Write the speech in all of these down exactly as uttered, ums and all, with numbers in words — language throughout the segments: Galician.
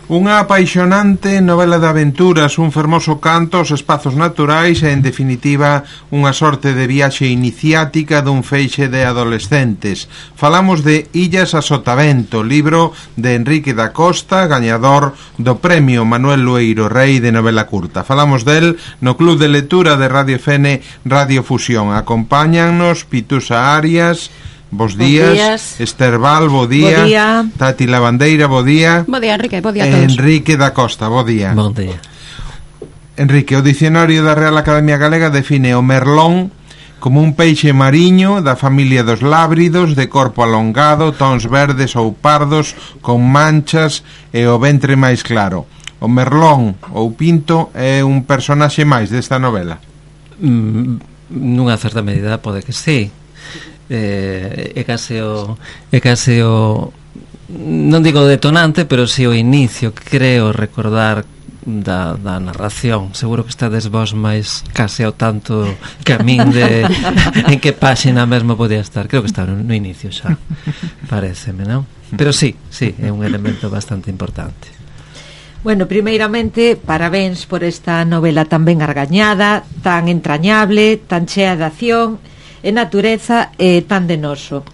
Unha apaixonante novela de aventuras, un fermoso canto aos espazos naturais e, en definitiva, unha sorte de viaxe iniciática dun feixe de adolescentes. Falamos de Illas a Sotavento, libro de Enrique da Costa, gañador do Premio Manuel Lueiro Rei de novela curta. Falamos del no Club de Lectura de Radio F N Radio Fusión. Acompáñannos Pitusa Arias. Bos días. días, Esther Val, bo día. bo día, Tati Lavandeira, bo día. Bo día, Enrique, bo día a todos. Enrique da Costa, bo día. Bon día. Enrique, o Dicionario da Real Academia Galega define o merlón como un peixe mariño da familia dos lábridos, de corpo alongado, tons verdes ou pardos, con manchas e o ventre máis claro. O merlón ou pinto é un personaxe máis desta novela? Mm, nunha certa medida pode que sí. Eh, é case o é case o non digo detonante, pero si sí o inicio, creo recordar da, da narración. Seguro que estades vos máis case ao tanto que a min de en que páxina mesmo podía estar. Creo que está no, no inicio xa, paréceme, non? Pero sí, sí, é un elemento bastante importante. Bueno, primeiramente, parabéns por esta novela tan ben argañada, tan entrañable, tan chea de acción e natureza e tan de noso.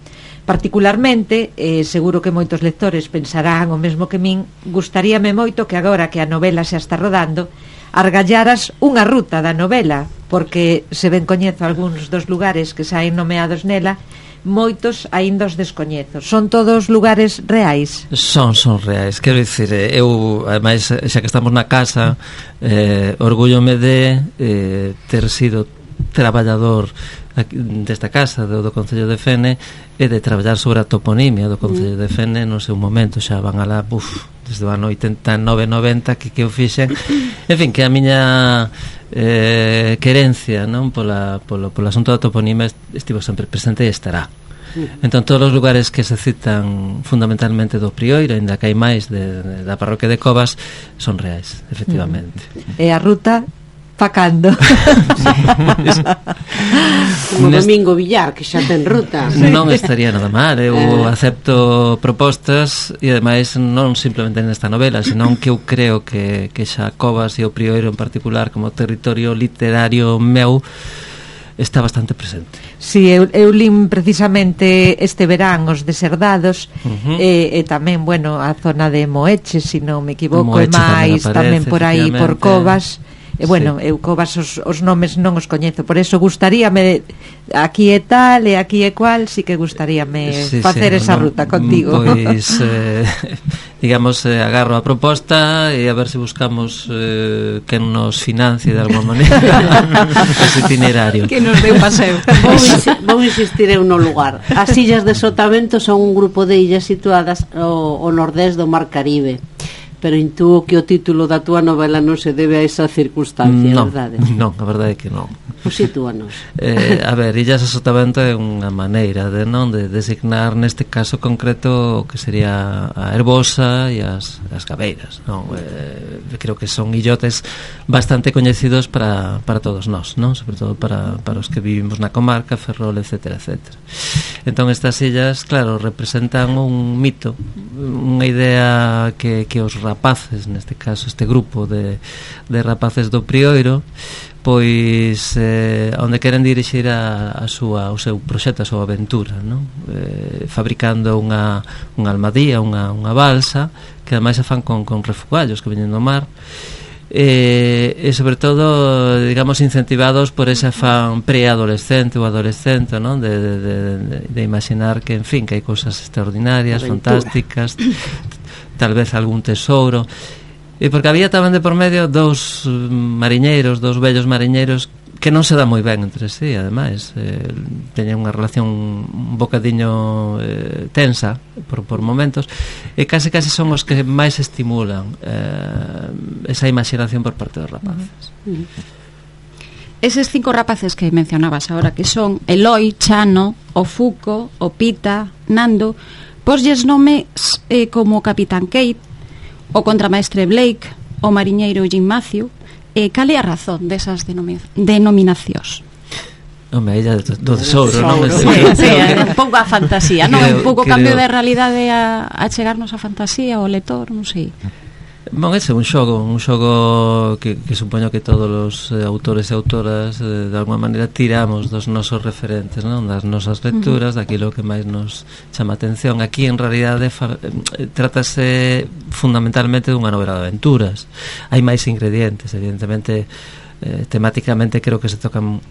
Particularmente, eh, seguro que moitos lectores pensarán o mesmo que min, gustaríame moito que agora que a novela xa está rodando, argallaras unha ruta da novela, porque se ben coñezo algúns dos lugares que saen nomeados nela, moitos aínda os descoñezo. Son todos lugares reais? Son, son reais. Quero dicir, eu, ademais, xa que estamos na casa, eh, orgúllome de eh, ter sido traballador desta casa do, do Concello de Fene e de traballar sobre a toponimia do Concello de Fene no seu momento. Xa van alá, uf, desde o ano oitenta e nove noventa que, que eu fixen, en fin, que a miña eh, querencia, non, pola, polo, polo asunto da toponimia estivo sempre presente e estará. Entón, todos os lugares que se citan fundamentalmente do Prioiro, ainda que hai máis de, de, da parroquia de Covas, son reais, efectivamente. E a ruta facando como Domingo Villar, que xa ten ruta. Non estaría nada mal. Eu eh. acepto propostas, e ademais non simplemente nesta novela, senón que eu creo que, que xa Covas e o Prioiro en particular como territorio literario meu está bastante presente. Si, eu, eu lin precisamente este verán os Deserdados, uh-huh. e, e tamén, bueno, a zona de Moeche, se non me equivoco, e máis tamén, tamén por aí por Covas. E bueno, sí. eu Covas os, os nomes non os coñezo, por eso gustaríame aquí e tal e aquí e cual, si que gustaríame sí, facer sí, esa no, ruta contigo. Pois eh, digamos, eh, agarro a proposta e a ver se buscamos eh, que nos financie de alguma maneira ese itinerario, que nos dé un paseo. Vou, ins- vou insistir en no lugar. As Illas de Sotavento son un grupo de illas situadas ao, ao nordés do Mar Caribe, pero intúo que o título da túa novela non se debe a esa circunstancia, non, verdade? Non, a verdade é que non. Pois sitúanos. Eh, a ver, Illas a Sotavento é unha maneira de non de designar neste caso concreto o que sería a Herbosa e as, as Gabeiras, non? Eh, creo que son illotes bastante coñecidos para, para todos nós, non? Sobre todo para, para os que vivimos na comarca, Ferrol, etcétera, etcétera. Entón estas illas, claro, representan un mito, unha idea que, que os rapaces, neste caso este grupo de, de rapaces do Prioiro, pois eh, onde queren dirixir a, a súa, o seu proxecto, a súa aventura, non? Eh, fabricando unha, unha almadía, unha, unha balsa, que ademais se fan con, con refugallos que veñen do mar, e, e sobre todo, digamos, incentivados por ese afán preadolescente ou adolescente, non? De, de, de, de, de imaginar que, en fin, que hai cousas extraordinarias, aventura, fantásticas, tal vez algún tesouro. E porque había tamén de por medio dous mariñeiros, dous vellos mariñeiros que non se dá moi ben entre sí, ademais eh, teñen unha relación un bocadiño eh, tensa por, por momentos, e case case son os que máis estimulan eh, esa imaginación por parte dos rapaces. Uh-huh. Eses cinco rapaces que mencionabas agora, que son Eloi, Chano, o Fuco, o Pita, Nando, poslles nomes eh, como Capitán Kate, o contramaestre Blake, o mariñeiro Jim Matthew. E cal é a razón desas denomi- denominacións? Home, ella do tesouro, non? Sí, sí, un pouco a fantasía, non? Un pouco cambio de realidade a, a chegarnos a fantasía ao lector, non sei. Bon, ese é un xogo, un xogo que, que supoño que todos os eh, autores e autoras eh, de alguma maneira tiramos dos nosos referentes, non? Das nosas lecturas, daquilo que máis nos chama atención. Aquí en realidade fa, eh, trátase fundamentalmente dunha novela de aventuras. Hai máis ingredientes, evidentemente eh, temáticamente creo que se tocan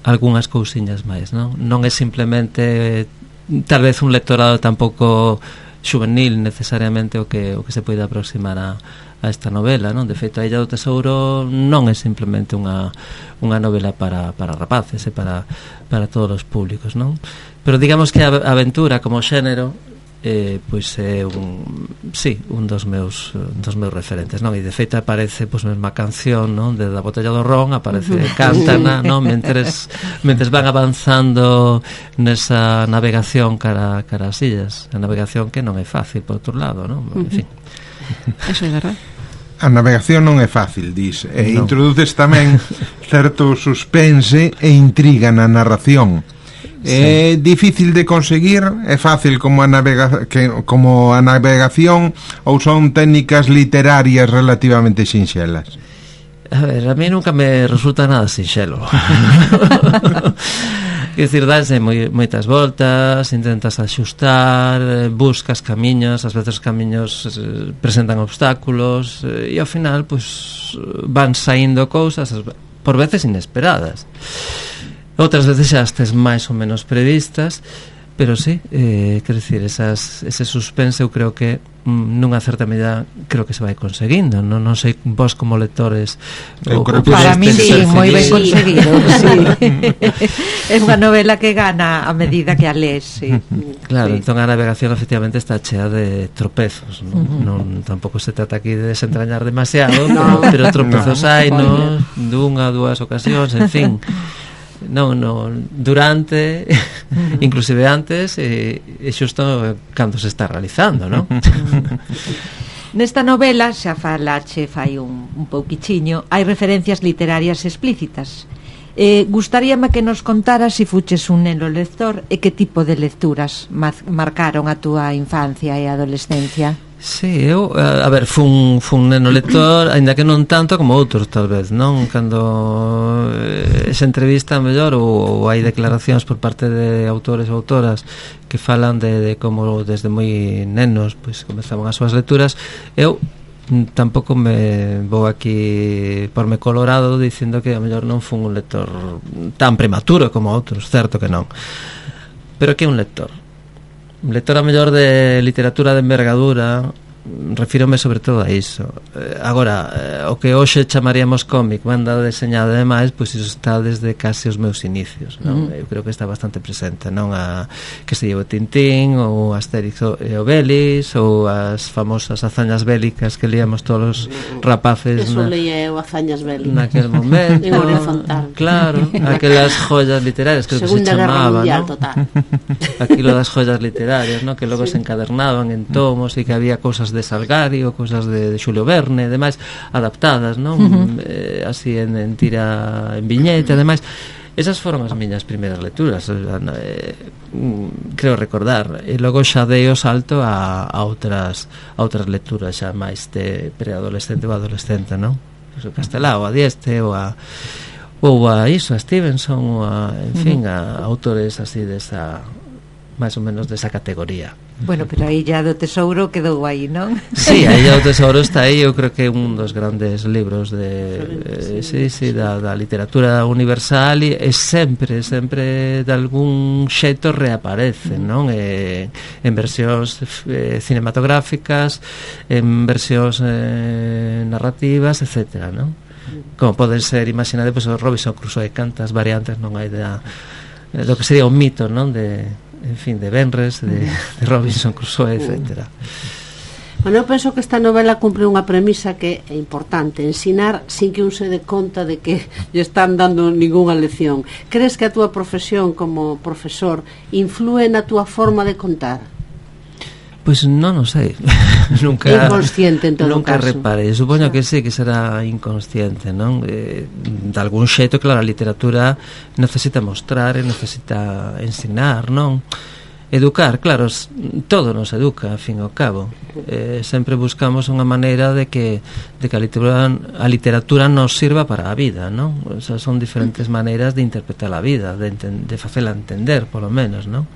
algunhas cousiñas máis, non? Non é simplemente eh, tal vez un lectorado tampouco juvenil necesariamente o que o que se pode aproximar a, a esta novela, non? De feito, A Illa do Tesouro non é simplemente unha unha novela para para rapaces, é para para todos os públicos, non? Pero digamos que a aventura como xénero eh, pois é un sí, un dos meus dos meus referentes, non? E de feito aparece pois mesma canción, non? De Da Botella do Ron, aparece cántana, non? Mentres mentres van avanzando nesa navegación cara cara as illas, a navegación que non é fácil por outro lado, non? En fin. Eso é verdade. A navegación non é fácil, dis, e no. introduces tamén certo suspense e intriga na narración. É sí. Difícil de conseguir, é fácil como a navega que como a navegación, ou son técnicas literarias relativamente sinxelas? A ver, a mí nunca me resulta nada sinxelo. Quer dicir, danse moi, moitas voltas, intentas axustar, buscas camiños, ás veces os camiños eh, presentan obstáculos, eh, e ao final pues, van saindo cousas, por veces inesperadas. Outras veces xa estes máis ou menos previstas, pero sí, eh, quer dicir, esas, ese suspense eu creo que mm, nunha certa medida creo que se vai conseguindo, non, non sei vos como lectores eu o, creo o que para mí sí, moi ben Sí. conseguido, sí. É unha novela que gana a medida que a lees, sí. Claro, Sí. entón a navegación efectivamente está chea de tropezos, non, Uh-huh. non tampouco se trata aquí de desentrañar demasiado, No. pero, pero tropezos No. hai, no, dunha, dúas ocasións, en fin. Non, non, durante, uh-huh. inclusive antes e, e xusto cando se está realizando, non? Nesta novela, xa falache fai un, un pouquichiño, hai referencias literarias explícitas. Eh, gustaríame que nos contaras se si fuches un neno lector e que tipo de lecturas marcaron a túa infancia e adolescencia. Sí, eu, a, a ver, fun, fun neno lector, aínda que non tanto como outros, tal vez, non? Cando eh, esa entrevista mellor ou, ou hai declaracións por parte de autores ou autoras que falan de, de como desde moi nenos pois comezaban as súas lecturas, eu tampouco me vou aquí porme colorado dicindo que a mellor non fun un lector tan prematuro como outros, certo que non. Pero que é un lector? Un lector a mellor de literatura de envergadura, refírome sobre todo a iso. Eh, agora, eh, o que hoxe chamaríamos cómic, banda deseñada e demais, pois iso está desde case os meus inicios, non? Mm. Eu creo que está bastante presente, non? A que se llevo Tintín, ou Asterix e Obelix, ou as famosas hazañas bélicas que líamos todos os rapaces. Eso na, leía eu, hazañas bélicas. Naquel momento. En Orio Fontán. Claro, aquelas joyas literarias que Segunda se Guerra chamaba, Mundial, ¿no? total. Aquilo das joyas literarias, ¿no? Que logo sí. se encadernaban en tomos e que había cousas de Salgario, cousas de, de Xulio Verne, demais adaptadas, non? Uh-huh. Eh, así en, en tira en viñeta, demais. Esas foron as miñas primeiras lecturas, eh, creo recordar. E logo xa dei o salto a, a outras a outras lecturas xa máis de preadolescente ou adolescente, non? Pues o Castelao, a Dieste ou a ou a iso, a Stevenson ou a, en fin, a autores así desa máis ou menos desa categoría. Bueno, pero a Illa do Tesouro quedou aí, non? Sí, a Illa do Tesouro está aí, eu creo que é un dos grandes libros de eh, sí, sí, da, da literatura universal e, e sempre, sempre de algún xeito reaparece, non? E, en versións eh, cinematográficas, en versións eh, narrativas, etcétera, non? Como poden ser, imaginade, pois, o Robinson Crusoe, cantas variantes non hai da, do que sería un mito, non? De en fin, de Benres, de, de Robinson Crusoe, etcétera. Bueno, eu penso que esta novela cumpre unha premisa que é importante, ensinar sin que un se dé conta de que lle están dando ningunha lección. Crees que a túa profesión como profesor inflúe na túa forma de contar? Pois pues non o sei. Nunca inconsciente en todo nunca caso. Reparei. Supoño que sí, que será inconsciente, non? Eh, de algún xeito, claro, a literatura necesita mostrar e necesita ensinar, non? educar, claro, todo nos educa, a fin e ao cabo. Eh, sempre buscamos unha maneira de que de que a literatura, a literatura nos sirva para a vida, non? O sea, son diferentes maneiras de interpretar a vida, de, enten, de facela entender, polo menos, non?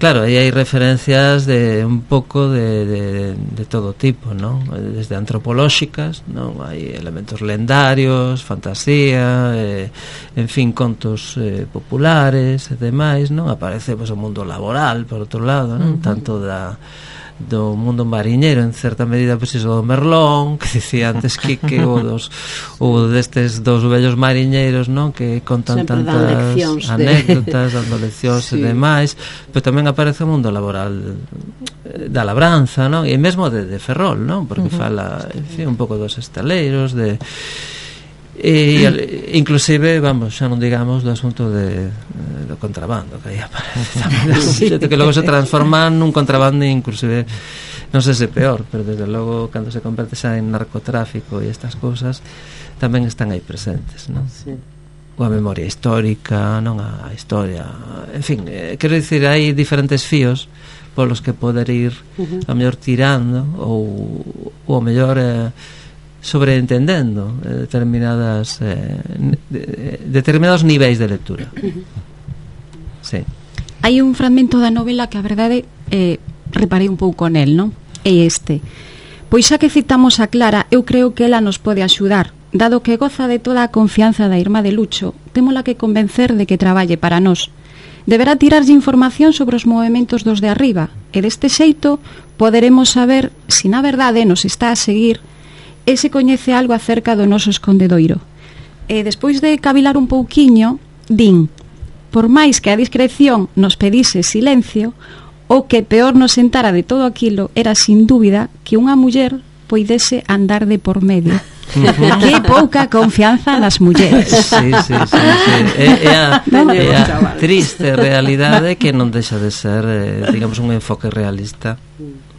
Claro, aí hai referencias de un pouco de, de, de todo tipo, non? Desde antropolóxicas, non? Hai elementos lendarios, fantasía, eh, en fin, contos eh, populares e demais, non? Aparece pois, o mundo laboral, por outro lado, non? Uh-huh. Tanto da do mundo mariñeiro, en certa medida pois iso do Merlón, que dicía antes Quique, ou dos ou destes dos vellos mariñeiros, non, que contan sempre tantas anécdotas, de... dando leccións sí. e demais, pero tamén aparece o mundo laboral da labranza, non, e mesmo de, de Ferrol, non, porque uh-huh. fala, en fin, un pouco dos estaleiros, de e inclusive, vamos, xa non digamos do asunto de, de do contrabando que aí aparece tamén, sí. que logo se transforma nun contrabando inclusive non sei se peor, pero desde logo cando se converte xa en narcotráfico e estas cousas tamén están aí presentes, non? Sí. Ou a memoria histórica, non a historia, en fin, eh, quero dicir, hai diferentes fíos polos que poder ir uh-huh. a mellor tirando ou, ou a mellor eh, sobreentendendo eh, determinadas eh, de, determinados niveis de lectura. Uh-huh. Sí. Hai un fragmento da novela que a verdade eh, reparei un pouco nel, non? É este. Pois xa que citamos a Clara, eu creo que ela nos pode axudar. Dado que goza de toda a confianza da irmá de Lucho, témola que convencer de que traballe para nós. Deberá tirarlle información sobre os movementos dos de arriba, e deste xeito poderemos saber se na verdade nos está a seguir e se coñece algo acerca do noso escondedoiro. E despois de cavilar un pouquiño, din: por máis que a discreción nos pedise silencio, o que peor nos sentara de todo aquilo era, sin dúbida, que unha muller poidese andar de por medio. Uh-huh. Que pouca confianza nas mulleres. Sí, sí, sí, sí. É, é, a, é a triste realidade que non deixa de ser, eh, digamos, un enfoque realista,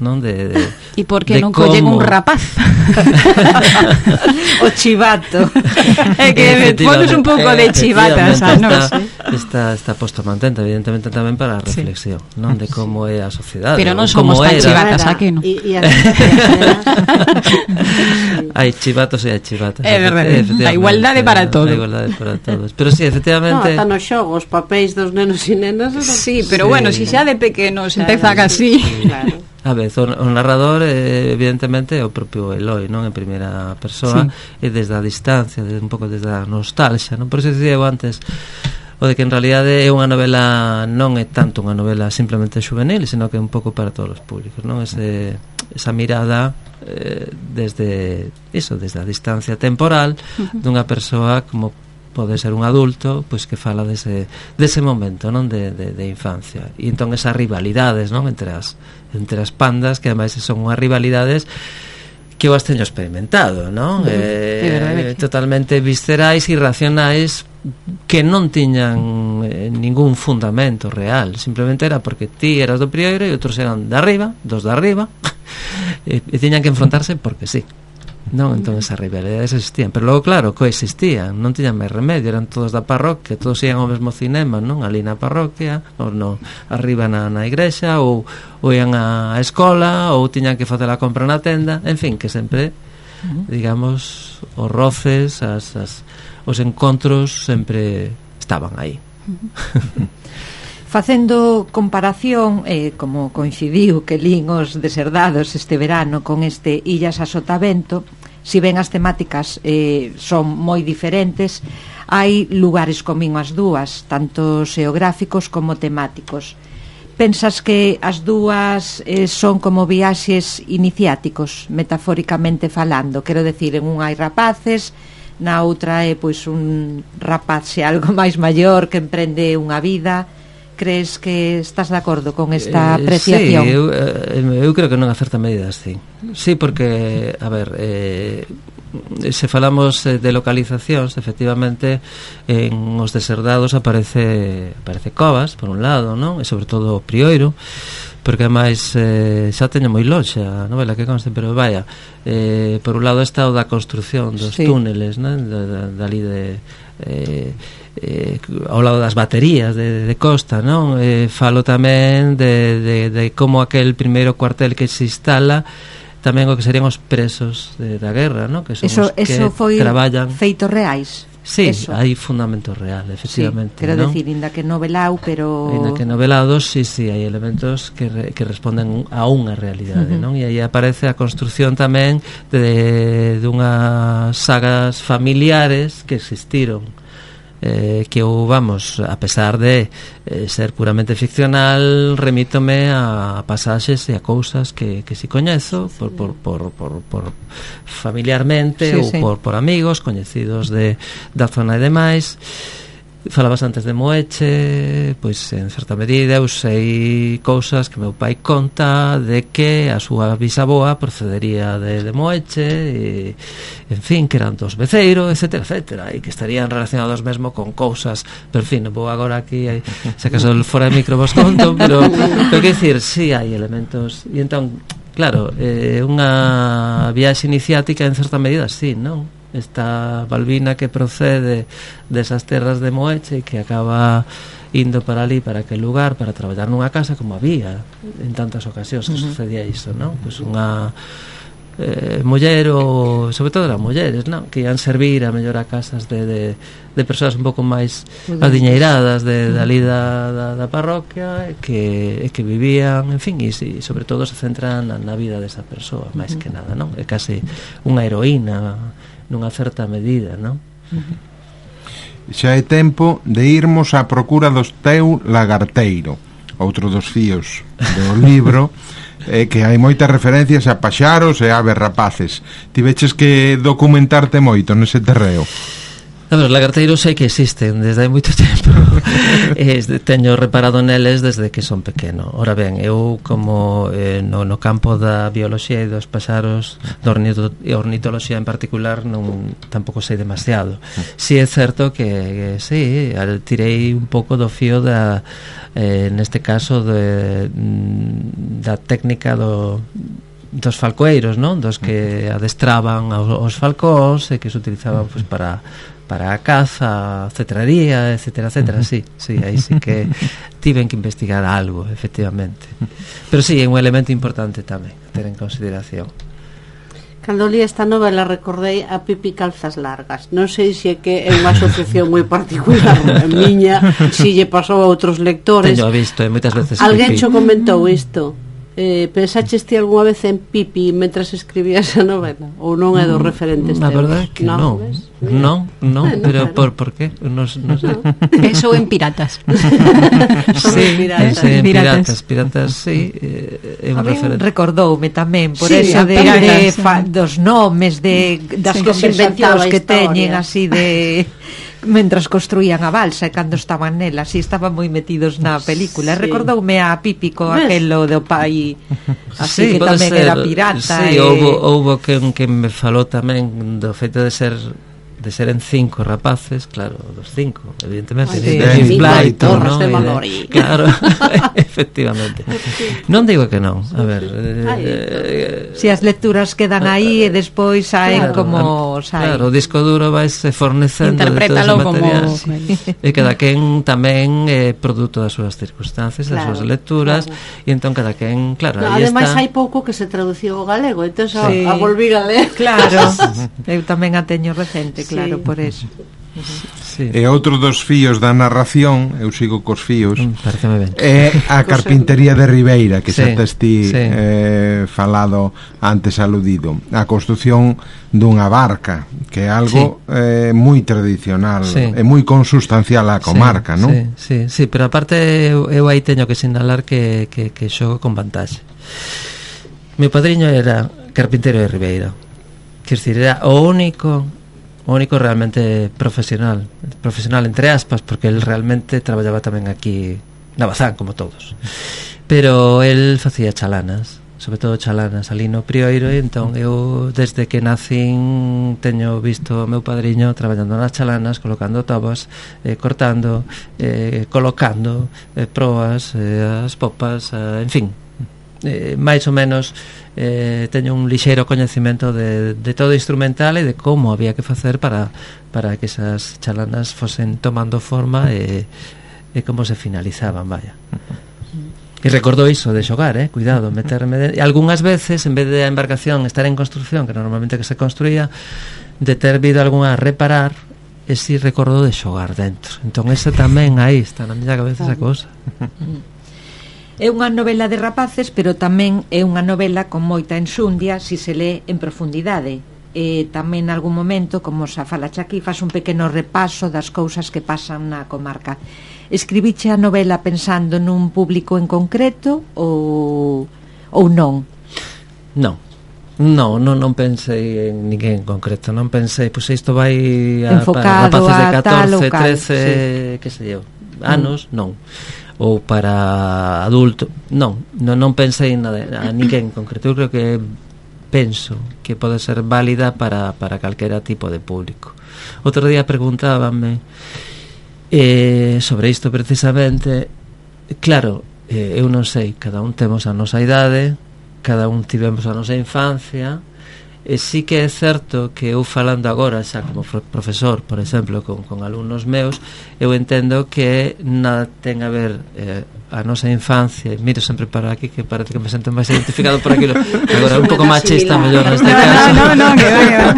non? De, de, e por que non collen un rapaz? O chivato. É que pones un pouco de chivata, xa, non sei. Está, está posto a mantente, evidentemente tamén para a reflexión, sí. non? De como é a sociedade. Pero non somos tan chivatas, a que non? Hai chivatos e hai chivatas. É verdade, a igualdade para todos. A igualdade para todos. Pero sí, efectivamente... No, ata nos xogos, papéis dos nenos e nenas... Sí, pero sí. Bueno, si xa de pequenos empeza así... Claro. A vez, o, o narrador eh, evidentemente é o propio Eloi, non? En primeira persoa, sí. E desde a distancia, desde, un pouco desde a nostalgia, non? Por iso dicía eu antes o de que en realidade é unha novela, non é tanto unha novela simplemente juvenil, sino que é un pouco para todos os públicos, non? Ese, esa mirada eh, desde iso, desde a distancia temporal uh-huh. dunha persoa como pode ser un adulto, pois que fala dese, dese momento, non? De, de, de infancia. E entón esas rivalidades, non? Entre as, entre as pandas, que ademais son unhas rivalidades que eu as teño experimentado, non? Uh-huh. Eh, totalmente viscerais, irracionais, que non tiñan eh, ningún fundamento real, simplemente era porque ti eras do primeiro e outros eran de arriba, dos de arriba, e, e tiñan que enfrontarse porque sí. Non, entón esas rivalidades existían, pero logo claro, coexistían, non tiñan máis remedio, eran todos da parroquia, todos ian ao mesmo cinema, non? Ali na parroquia, ou no, arriba na, na igrexa, ou, ou ian á escola, ou tiñan que facer a compra na tenda, en fin, que sempre, digamos, os roces, as, as, os encontros sempre estaban aí. Facendo comparación, eh, como coincidiu que lín os Deserdados este verano con este Illas a Sotavento, si ben as temáticas eh, son moi diferentes, hai lugares comín as dúas, tanto xeográficos como temáticos. Pensas que as dúas eh, son como viaxes iniciáticos, metafóricamente falando? Quero decir, en unha hai rapaces, na outra é pois un rapaz xe algo máis maior que emprende unha vida. Crees que estás de acordo con esta apreciación? Eh, sí, eu, eu creo que non a certa medida, sí. Sí, porque, a ver, eh, se falamos de localizacións, efectivamente, en os Deserdados aparece aparece Covas, por un lado, non? E sobre todo o Prioiro, porque ademais eh, xa teño moi lonxe a novela que conste, pero vaya, eh, por un lado está o da construción dos sí. túneles, né, da, da, dali de eh, eh, ao lado das baterías de, de Costa, non? Eh, falo tamén de, de, de como aquel primeiro cuartel que se instala, tamén o que serían os presos de, da guerra, non? Que son eso, os que eso foi traballan. Feitos reais. Sí, eso. hai fundamento real, efectivamente. Sí, quero ¿no? decir, inda que novelau, pero... Inda que novelados, sí, sí, hai elementos que, re, que responden a unha realidade, uh-huh. non? E aí aparece a construción tamén de, de unhas sagas familiares que existiron, eh, que eu, vamos, a pesar de eh, ser puramente ficcional, remítome a pasaxes e a cousas que, que si coñezo por, por, por, por, por familiarmente sí, ou sí. por, por amigos coñecidos de, da zona e demais. Falabas antes de Moeche, pois en certa medida eu sei cousas que meu pai conta de que a súa bisaboa procedería de, de Moeche e, en fin, que eran dos Beceiro, etcétera, etcétera, e que estarían relacionados mesmo con cousas, pero en fin, non vou agora aquí aí, se acaso fora de micro vos conto, pero pero que dicir, si sí, hai elementos e entón, claro, eh, unha viaxe iniciática en certa medida, sí, non? Esta Balbina que procede desas terras de Moeche e que acaba indo para ali, para aquel lugar, para traballar nunha casa, como había en tantas ocasións que uh-huh. sucedía iso, non? Pois unha eh, muller ou, sobre todo as mulleres, non? Que ian servir a mellor a casas de, de, de persoas un pouco máis adiñeiradas de, de ali da, da, da parroquia e que, e que vivían, en fin, e, e sobre todo se centran na, na vida desa persoa, máis uh-huh. que nada, non? É case unha heroína nunha certa medida, non? Uh-huh. Xa é tempo de irmos á procura dos teu lagarteiro, outro dos fíos do libro, é que hai moitas referencias a paxaros e aves rapaces. Tiveches que documentarte moito nese terreo. A ver, os lagarteiros sei que existen desde hai moito tempo. eh, teño reparado neles desde que son pequeno. Ora ben, eu como eh, no, no campo da bioloxía e dos paxaros, da ornito, ornitoloxía en particular, non tampouco sei demasiado. Si é certo que, que sí, tirei un pouco do fío da, eh, neste caso de, da técnica do dos falcoeiros, non? Dos que adestraban aos, aos falcóns e que se utilizaban pois, para para a caza, a cetraría, etcétera, etcétera, sí, sí, aí sí que tiven que investigar algo, efectivamente. Pero sí, é un elemento importante tamén ter en consideración. Cando li esta novela recordei a Pipi Calzas Largas. Non sei se é que é unha asociación moi particular a miña, si lle pasou a outros lectores. Teño visto, e moitas veces alguén Pipi xo comentou isto. Eh, pensaches ti algunha vez en Pipi mentras escribías a novela? Ou non é dos referentes teus? A verdade é que non, non, non, bueno, pero claro. por, por qué? Non, non sei. Eso en Piratas. Sí, piratas. sí, en Piratas. Piratas, Piratas, sí, eh, é un A mí referente. recordoume tamén por Sí, eso de, piratas, de fa, dos nomes de das Sí, conversacións que historia. teñen así de mentras construían a balsa e cando estaban nela, así estaban moi metidos na película. Sí. Recordoume a Pípico, ¿Ves? aquelo do pai así Sí, que pode tamén ser, era pirata. sí, e... houbo, houbo que, que me falou tamén do feito de ser de ser en cinco rapaces, claro, dos cinco, evidentemente, Ay, de sí. James Sí, Blyton, Torres ¿no? de E Mallory. Claro, efectivamente. Non digo que non, a ver, Ay, eh, Si as lecturas quedan aí e despois saen claro, como a- saen. Claro, o disco duro vaise fornecendo de todo Interprétalo ese como- material. E cada quen tamén é produto das súas circunstancias, das Claro, súas lecturas, claro. e entón cada quen, claro, No, aí ademais está. hai pouco que se traduciu ao galego, entón a, Sí. a volví a ler. Claro, eu tamén a teño recente, Sí. claro, por eso. Sí. E outro dos fíos da narración, eu sigo cos fíos, Mm, pareceme ben. é a carpintería de Ribeira, que Sí, xa tes ti sí. eh, falado antes aludido. A construción dunha barca, que é algo eh, moi tradicional, Sí. e moi consustancial á comarca, sí, non? Sí, sí, sí, pero aparte eu, eu aí teño que sinalar que, que, que xogo con vantaxe. Meu padriño era carpintero de Ribeira, quer dizer, era o único o único realmente profesional, profesional entre aspas, porque él realmente traballaba tamén aquí na Bazán, como todos, pero él facía chalanas, sobre todo chalanas ali no Prioiro, e entón eu desde que nacín teño visto o meu padriño traballando nas chalanas, colocando tobas, eh, cortando, eh, colocando eh, proas, eh, as popas, eh, en fin, eh, máis ou menos eh, teño un lixeiro coñecimento de, de todo instrumental e de como había que facer para, para que esas chalanas fosen tomando forma e, e como se finalizaban, vaya. E recordo iso de xogar, eh, cuidado, meterme de... E algunhas veces, en vez de a embarcación estar en construcción, que normalmente que se construía, de ter vido algunha a reparar, e si recordo de xogar dentro. Entón ese tamén aí está na miña cabeza esa cosa. É unha novela de rapaces, pero tamén é unha novela con moita enxundia si se lee en profundidade. E tamén en algún momento, como xa falache aquí, faz un pequeno repaso das cousas que pasan na comarca. Escribiche a novela pensando nun público en concreto ou, ou non? Non. Non, non, non pensei en ninguén en concreto. Non pensei, pois isto vai a, enfocado para rapaces de a catorce, tal, trece, sí. que sei eu, anos, mm. non. Ou para adulto, non, non, non pensei en nada, a ninguén en concreto. Eu creo que penso que pode ser válida para, para calquera tipo de público. Outro día preguntábanme eh, sobre isto precisamente. Claro, eh, eu non sei, cada un temos a nosa idade, cada un tivemos a nosa infancia, e sí que é certo que eu falando agora xa como profesor, por exemplo, con, con alumnos meus, eu entendo que nada ten a ver eh, a nosa infancia. Miro sempre para aquí, que parece que me sinto máis identificado por aquilo. Agora un pouco machista mellor neste caso. No, no, no, que va, que va.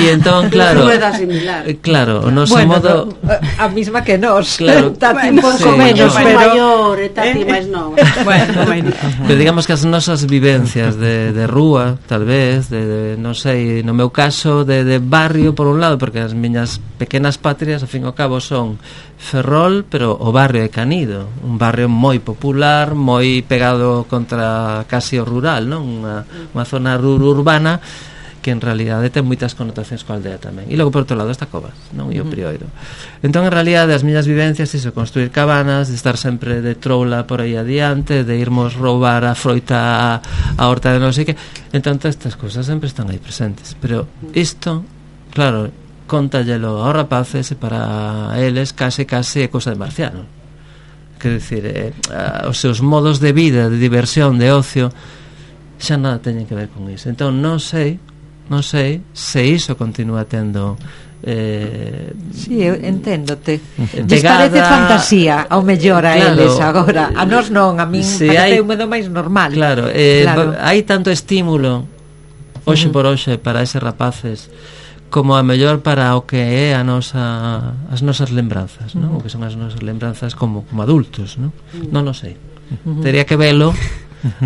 E entón, claro, similar. claro, o noso bueno, modo a mesma que nós, claro, Tati bueno, un pouco sí, menos, no. pero maior e Tati máis nova. Bueno, bueno. pero digamos que as nosas vivencias de, de rúa, tal vez, de, de non sei, no meu caso de, de barrio por un lado, porque as miñas pequenas patrias ao fin e ao cabo son Ferrol, pero o barrio de Canido, un barrio moi popular, moi pegado contra casi o rural, non? Unha, unha zona urbana que en realidade ten moitas connotacións coa aldea tamén. E logo por outro lado está Covas, non? E o Prioiro. Entón en realidade as miñas vivencias iso, construir cabanas, de estar sempre de troula por aí adiante, de irmos roubar a froita a, a horta de non sei que. Entón todas estas cousas sempre están aí presentes, pero isto, claro, contallelo aos rapaces e para eles case case é cousa de marciano. Quero dicir, eh, os seus modos de vida, de diversión, de ocio, xa nada teñen que ver con iso. Entón non sei, non sei se iso continúa tendo eh, sí, eu enténdote. Lles parece fantasía ao mellor a claro, eles agora. A nós non, a min si parece hai, un medo máis normal. Claro, eh, claro. hai tanto estímulo hoxe uh -huh. por hoxe para eses rapaces como a mellor para o que é a nosa, as nosas lembranzas, ¿no? O que son as nosas lembranzas como, como adultos, ¿no? Uh-huh. Non o sei. Uh-huh. Tería que velo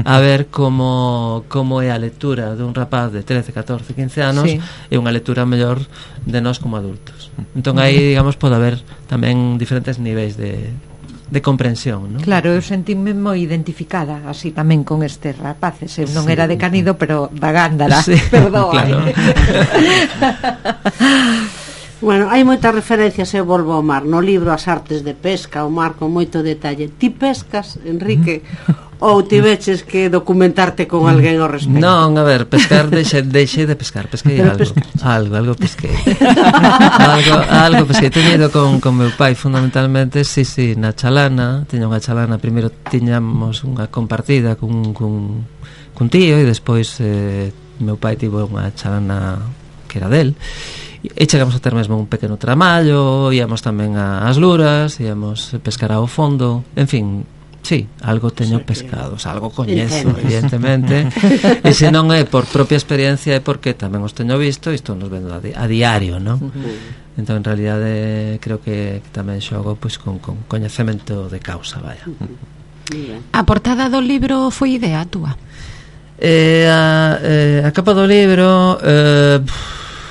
a ver como como é a lectura dun rapaz de trece, catorce, quince anos, sí. E unha lectura mellor de nós como adultos. Entón aí, digamos, pode haber tamén diferentes niveis de de comprensión, ¿no? Claro, eu sentíme moi identificada así tamén con estes rapaces. Eu non sí. era de Canido, pero da Gándara, sí. Perdón. Claro. Bueno, hai moitas referencias, eu volvo ao mar. No libro As artes de pesca, o mar con moito detalle. Ti pescas, Enrique? Ou tiveches que documentarte con alguén ao respecto? Non, a ver, pescar, deixe, deixe de pescar, pesquei Pero algo, pesca... algo, algo pesquei. algo, algo pesquei, teño ido con, con meu pai fundamentalmente, sí, sí, na chalana, teño unha chalana, primeiro tiñamos unha compartida cun, cun, cun tío e despois eh, meu pai tivo unha chalana que era del, e chegamos a ter mesmo un pequeno tramallo, íamos tamén ás luras, íamos pescar ao fondo, en fin. Sí, algo teño pescados, algo coñezo, evidentemente. E se non é por propia experiencia é porque tamén os teño visto e estou nos vendo a, di a diario, non? Uh-huh. Entón, en realidade, creo que, que tamén xogo pois, con, con coñecemento de causa, vaya. Uh-huh. A portada do libro foi idea túa? Eh, a, eh, a capa do libro... Eh,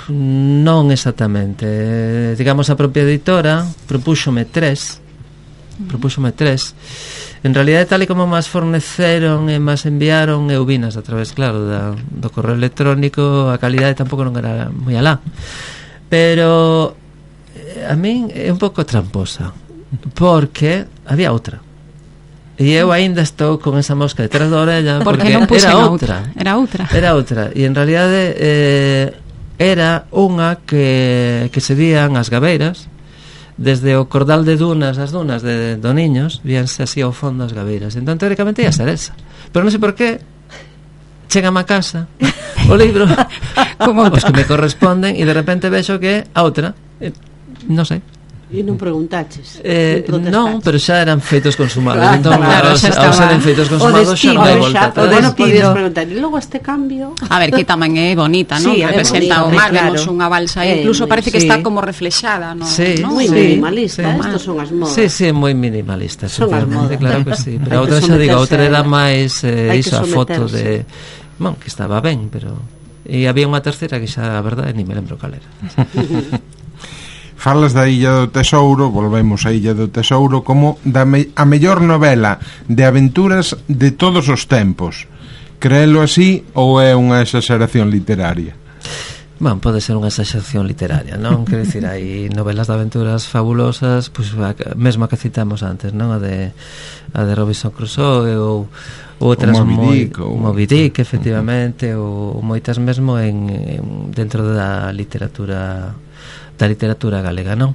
non exactamente. Eh, digamos, a propia editora propúxome tres. Uh-huh. Propúxome tres. En realidade, tal e como mas forneceron e mas enviaron, eu vinas a través, claro, da, do correo electrónico, a calidade tampouco non era moi alá. Pero eh, a min é un pouco tramposa, porque había outra. E eu aínda estou con esa mosca detrás da orella, porque, porque era outra. Era outra. Era outra. E en realidade eh, era unha que, que se vían as gabeiras desde o cordal de dunas, as dunas de Doniños, víanse así ao fondo as gabeiras. Entón, teóricamente, ia ser esa. Pero non sei por qué, chegame a casa, o libro, como os que me corresponden, e de repente vexo que a outra, eh, non sei. E non preguntaches? Eh, non, pero xa eran feitos consumados. Ah, entón, claro, aos, xa aos estaba. eran feitos consumados xa non hai volta O atrás. bueno, podías preguntar, e logo este cambio? A ver, que tamén é bonita, non? Sí, é Representa o bonita, mar, claro. vemos unha balsa, É, incluso moi- parece que sí. está como reflexada, non? Sí, ¿no? Moi sí, minimalista, sí. estos son as modas. Sí, sí, moi minimalista. Son as efectivamente, modas. claro que sí. Pero Hai a outra que xa digo, a someterse outra era a ela. máis eh, Hai que iso, a foto someterse. de... Bon, que estaba ben, pero... E había unha terceira que xa, a verdade, ni me lembro cal era. Falas da Illa do Tesouro, volvemos á Illa do Tesouro, como da me, a mellor novela de aventuras de todos os tempos. Creelo así ou é unha exageración literaria? Bon, pode ser unha exageración literaria, non? Quero dicir, hai novelas de aventuras fabulosas, pois pues, mesmo a que citamos antes, non? A de a de Robinson Crusoe ou outras o Moby moi Dick, ou... Moby Dick, efectivamente, ou moitas mesmo en, en dentro da literatura da literatura galega, non?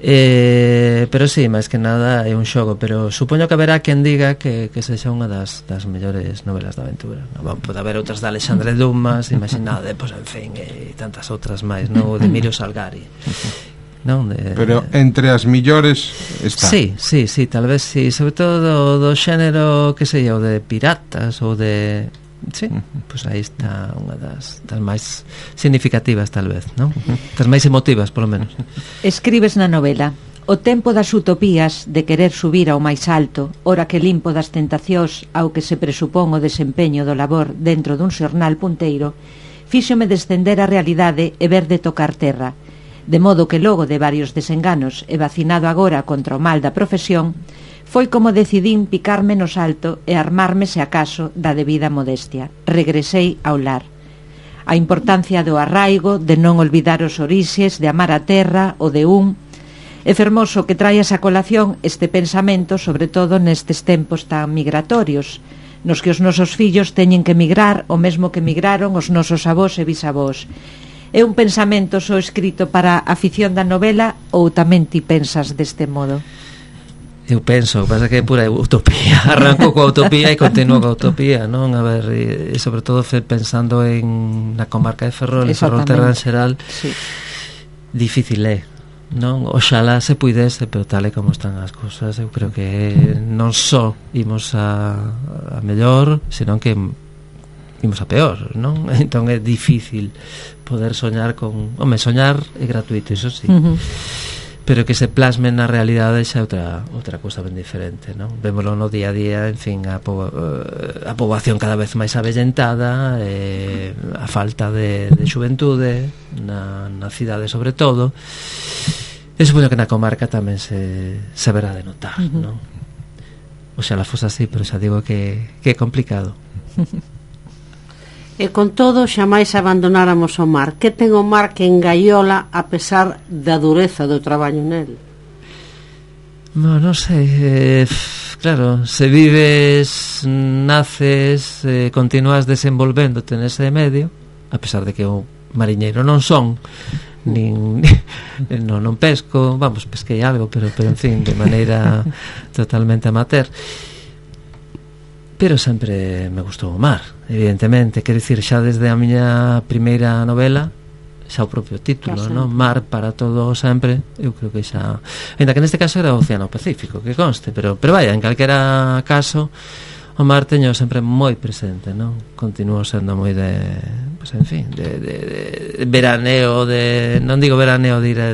Eh, pero sí, máis que nada é un xogo, pero supoño que haberá quen diga que, que sexa unha das, das mellores novelas de aventura, non? Bon, pode haber outras de Alexandre Dumas, imaginade, pois, en fin, e tantas outras máis, non? De Emilio Salgari, non? De, Pero entre as millores está. Sí, sí, sí, tal vez sí, sobre todo do, do xénero, que sei eu, de piratas ou de... Sí, pois pues aí está unha das, das máis significativas, tal vez, non? Das máis emotivas, polo menos. Escribes na novela: o tempo das utopías, de querer subir ao máis alto, ora que limpo das tentacións ao que se presupón o desempeño do labor dentro dun xornal punteiro, fíxome descender a realidade e ver de tocar terra, de modo que logo de varios desenganos e vacinado agora contra o mal da profesión, foi como decidín picarme no salto e armarme, se acaso, da debida modestia. Regresei ao lar. A importancia do arraigo, de non olvidar os orixes, de amar a terra, o de un... É fermoso que traia esa colación este pensamento, sobre todo nestes tempos tan migratorios, nos que os nosos fillos teñen que migrar o mesmo que migraron os nosos avós e bisavós. É un pensamento só escrito para a afición da novela ou tamén ti pensas deste modo? Eu penso, o que pasa que é pura utopía. Arranco coa utopía e continuo coa utopía, non? A ver, e, e sobre todo fe, pensando en na comarca de Ferrol, en Ferrol Terra en xeral, sí. Difícil é, non? Oxalá se puidese, pero tal e como están as cousas, eu creo que non só imos a, a mellor, senón que imos a peor, non? Entón é difícil poder soñar con... Home, soñar é gratuito, iso sí. Uh -huh. Pero que se plasme na realidade xa outra outra cousa ben diferente, non? Vémolo no día a día, en fin, a, po, a poboación cada vez máis avellentada, eh, a falta de, de xuventude na, na cidade sobre todo. E supoño que na comarca tamén se, se verá de notar, uh -huh. non? Oxalá fose así, pero xa digo que, que é complicado. E con todo, xamais abandonáramos o mar. Que ten o mar que engaiola a pesar da dureza do traballo nel? No, non sei, eh, claro, se vives, naces, eh, continúas desenvolvéndote nese medio, a pesar de que o mariñeiro non son, nin, non, non pesco, vamos, pesquei algo, pero, pero en fin, de maneira totalmente amateur. Pero sempre me gustou o mar, evidentemente, quero dicir, xa desde a miña primeira novela, xa o propio título, non? Mar para todo sempre, eu creo que xa, ainda que neste caso era o Océano Pacífico, que conste, pero pero vaya, en calquera caso o mar teño sempre moi presente, non? Continuo sendo moi de, pues en fin, de, de, de veraneo, de, non digo veraneo de ir a,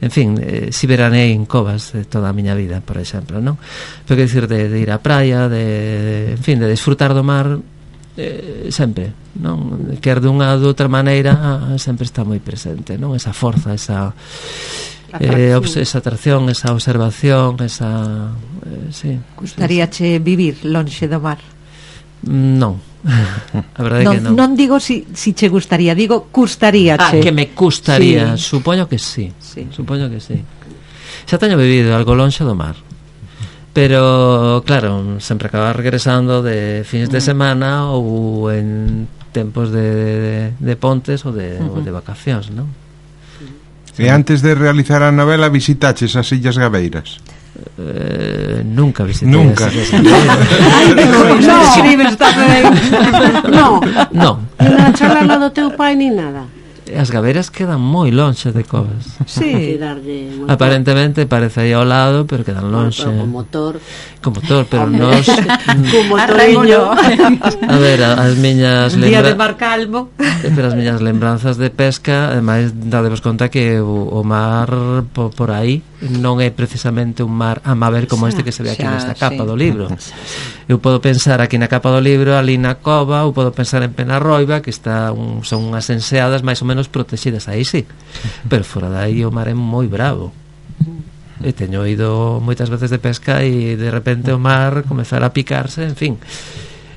en fin, eh, si veranei en covas de toda a miña vida, por exemplo, non? Pero que dicir, de, de ir á praia, de, de, en fin, de disfrutar do mar, eh, sempre, non? Quer dunha ou outra maneira sempre está moi presente, non? Esa forza, esa eh, esa atracción, esa observación, esa eh, sí. Gustaríache vivir lonxe do mar? Non. A verdade non, que non. Non digo si, si che gustaría, digo custaríache. Ah, que me custaría, sí. Supoño que sí, sí. Supoño que sí. Xa teño vivido algo lonxe do mar, pero claro, sempre acaba regresando de fins de semana ou en tempos de, de, de pontes ou de, uh -huh. ou de vacacións, non? E antes de realizar a novela visitaches as Illas Gabeiras? Eh, nunca visité Nunca. as Illas Gabeiras. No, escribes tamén. No, Non, nin na charla do teu pai ni nada. as Gabeiras quedan moi lonxe de Covas. Sí. Tirarlle motor. Aparentemente parece aí ao lado, pero quedan lonxe. Pero con motor. Con motor, pero nos... Con motoriño. A ver, a- as miñas Día de lembra... mar calmo. Pero as miñas lembranzas de pesca, ademais dadevos conta que o, o mar por, por aí non é precisamente un mar a ver como este que se ve aquí Xa, nesta capa sí. do libro. Eu podo pensar aquí na capa do libro, ali na cova, ou podo pensar en Penarroiba, que está un, son unhas enseadas máis ou menos protegidas, aí sí. Pero fora dai o mar é moi bravo. E teño ido moitas veces de pesca e de repente o mar comezar a picarse, en fin.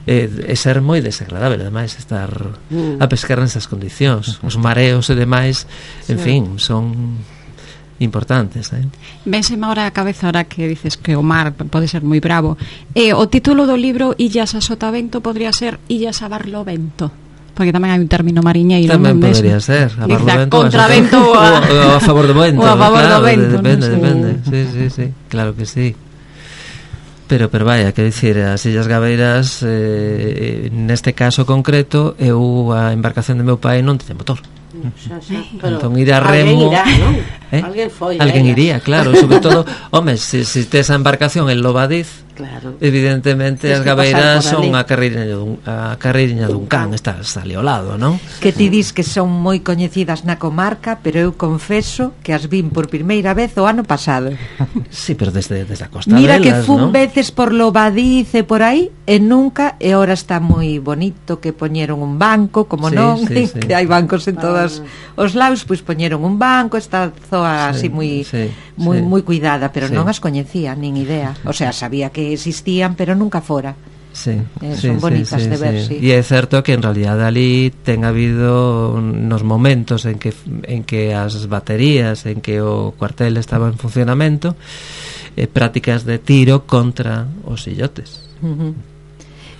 E, e ser moi desagradable ademais estar Mm. a pescar nesas condicións, os mareos e demais, en fin, son importantes, eh? Vénseme ahora a cabeza ahora que dices que o mar pode ser moi bravo. E o título do libro Illas a Sotavento podría ser Illas a Barlovento, porque tamén hai un término mariñeiro. Tamén non? podería Des- ser a Dice, Barlovento a contravento ou ou a... a, ou a favor do vento, ou a favor claro, do vento, depende, non sei. depende. Sí, sí, sí, claro que sí. Pero, pero vaya, quero dicir, as Illas Gabeiras, eh, neste caso concreto, eu a embarcación do meu pai non tiña motor. Xa, xa, pero Entón ir a alguén remo, irá, non? eh? Alguén foi. Alguén ela. iría, claro, sobre todo, home, se si, si tes a embarcación en Lobadiz, Claro. evidentemente Tens as que Gabeiras pasar por son ali. a carreiriña dun, a carreiriña dun can, está ali ao lado, non? Que ti dis que son moi coñecidas na comarca, pero eu confeso que as vin por primeira vez o ano pasado. Sí, pero desde, desde a costa Mira que delas, fun non? veces por Lobadiz e por aí e nunca, e ora está moi bonito que poñeron un banco, como Sí, non, sí, sí. que hai bancos en todos os lados, pois poñeron un banco, está zoa así Sí, moi sí, moi sí. moi cuidada, pero Sí. non as coñecía, nin idea. O sea, sabía que existían, pero nunca fora. Sí, Eh, sí, son sí, bonitas sí, de ver, sí. E é certo que en realidad ali ten habido nos momentos en que en que as baterías, en que o cuartel estaba en funcionamento, eh, prácticas de tiro contra os illotes. Uh -huh.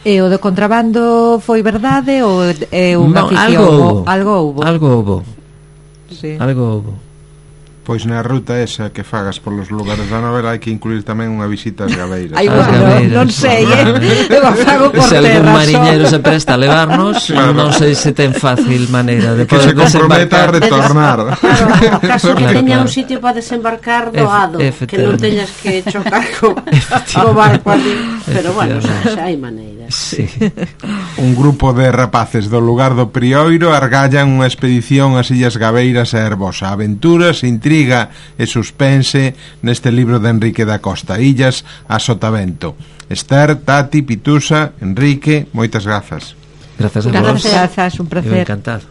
E o do contrabando foi verdade ou é unha Non, ficción? algo houbo. O- Algo houbo. Algo houbo. Sí. Algo houbo. Pois na ruta esa que fagas polos lugares da novela hai que incluir tamén unha visita ás Gabeiras. Ai, As bueno, Gabeiras. non sei, eh? Eu a fago por Se algún terra mariñeiro só. se presta a levarnos, Claro. non sei se ten fácil maneira de Que poder se comprometa a desembarcar. retornar. Claro, a caso que Claro, teña claro. un sitio para desembarcar Efe- doado, que non efectivamente. teñas que chocar co, co barco ali. Pero bueno, xa, Efectivamente. xa hai maneiras. Sí. Un grupo de rapaces do lugar do Prioiro argallan unha expedición ás Illas Gabeiras a Herbosa. Aventuras, intriga e suspense neste libro de Enrique da Costa, Illas a Sotavento. Esther, Tati, Pitusa, Enrique, moitas grazas. Grazas a vos. Grazas, un Eu placer. encantado.